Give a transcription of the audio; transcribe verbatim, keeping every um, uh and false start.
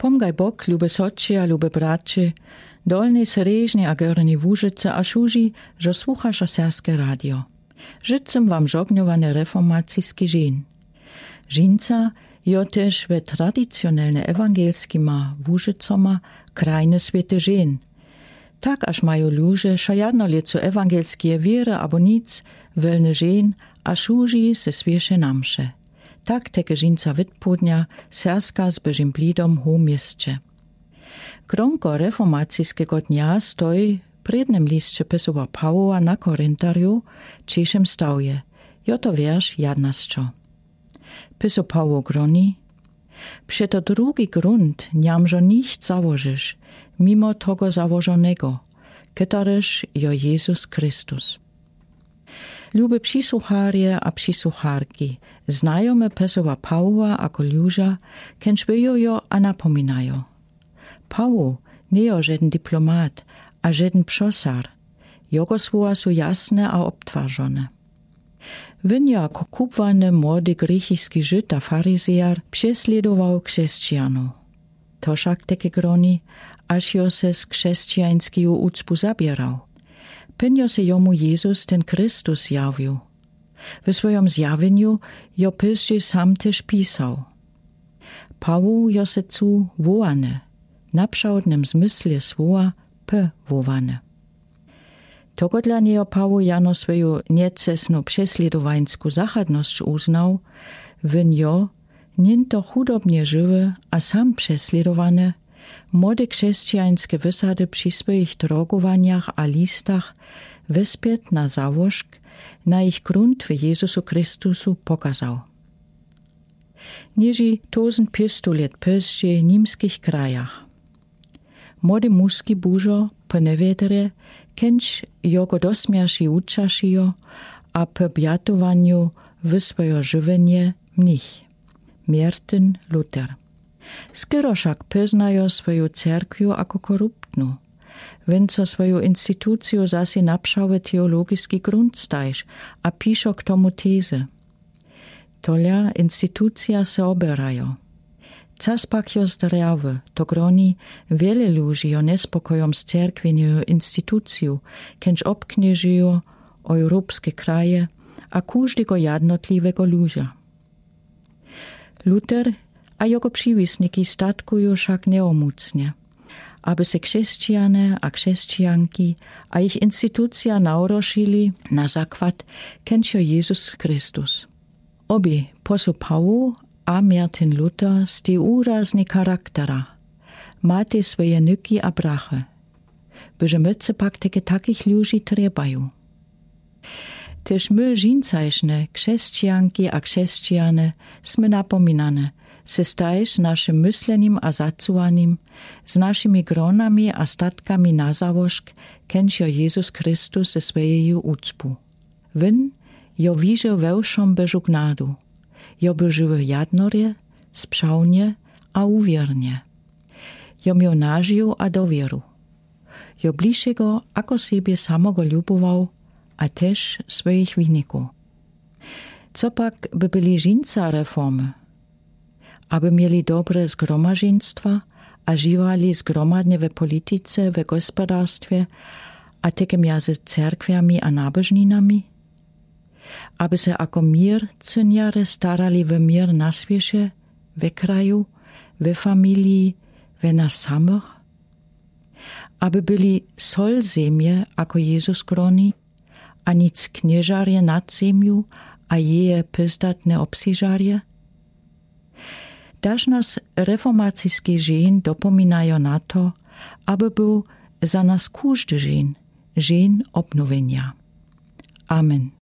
Pomgaj bok, lube sotři a lube bratři, dolnej srježnej a gornej łužicy a šuži, zo słuchaša serbske radio. Žičim wam žognjowane reformaciski žen. Žinca jo tež we tradicionelne ewangelskima łužicoma krajny swěty žen. Tak aż maju luže šajadno lěcu ewangelskije wěry abo nic, welny žen a šuži se swěše na msze. Tak teke žinca witpłódnja serska z bežim blidom hołmjesće. Gronko reformaciskego dnja stoj w prědnym lisće pysowa pawoła na korintarju w češem stawje. Jo to wjerš jadnasćo. Pysow pawoł groni: Přeto drugi grunt njamżo nicht załožiš mimo togo założonego, ketaryż jo jezus christus. Lube přisłucharje a přisłucharki, znajome pysowa pawoła a koljuža, kenč byjo jo a napominajo. Pawoł njejo žedn diplomat a žedn přosar. Jogo słowa su jasne a obtwarzone. Win jo jako kubłany młody grěchiski žyd a farizejar přeslědował křesćijanow. To wšak teke groni, aż jo se z křesćijańskiju ucpu zaběrał. Pyn jo se jomu jezus ten christus zjawił. We swojom zjawjenju jo pyzdźi sam tež pisał. Pawoł jo se cu wołany, na pšałdnym zmyslje słowa, p wołany. Togo dla njejo pawoł jano swoju njecesnu přeslědowańsku zachadnosć uznał. Win jo, niento chudobnje žiwy a sam přeslědowany, młode křesćijańske wysady při swojich drogowanjach a listach wespět na załožk, na jich grunt w jezusu christusu pokazał. Niži tozent pětsto lět pyzdźi w nimskich krajach. Młody muski bužo, po njewiedrje, kenč jogo dosmjerši wučašijo a po bjatowanju wyswojo žiwjenje mnich, mjertyn luter. Skoro wšak pyznajo swoju cerkwiu jako koruptnu, win so swoju instituciju zase na pšały teologiski grunt stajš a pišo k tomu tezy. Tolja institucija se oběrajo. Cas pak jo zdrjawy, to groni, wiele luži jo njespokojom z cerkwjenju instituciju, kenč obknježijo ojrupske kraje a kóżdego jadnotliwego luža. Luter a jogo přiwisniki statkuju wšak njeomócnje, aby se křesćijane a křesćijanki a jich institucija nawrošili na zakład, kenč jo jezus christus. Obi posłów pawoł a mjertyn luter stej wurazni charakterja, matej swoje nyki a brachy. Bože mócny pak teke takich luži trjebaju. Tež my žincajšne křesćijanki a křesćijane smy napominane se stajš z našim myslenim a zacuwanim, z našimi gronami a statkami na załožk, kenč jo jezus christus ze swojeju ucpu. Win jo wižo we wšom božu gnadu. Jo božu jadnorje, spřawnje a wuwěrnje. Jo mił nadziejã a dowěru. Jo bližszego ako sebje samogo ljubował, a tež swojich winikow. Co pak by byli žińca reformy? Aby měli dobre zgromadźeństwa a žiwali zgromadnje we politice, we gospodarstwie, a teke mjezy cerkwjami a nabožninami? Aby se ako měrcynjarje starali wo měr na swěše, we kraju, we familii, we nas samych? Aby byli sol zemje, ako jezus groni, a nic knježarje nad zemju a jeje pyzdatne obsežarje? Daž nas reformaciski žin dopominajo na to, aby był za nas kóżdy žin žin obnowjenja. Amen.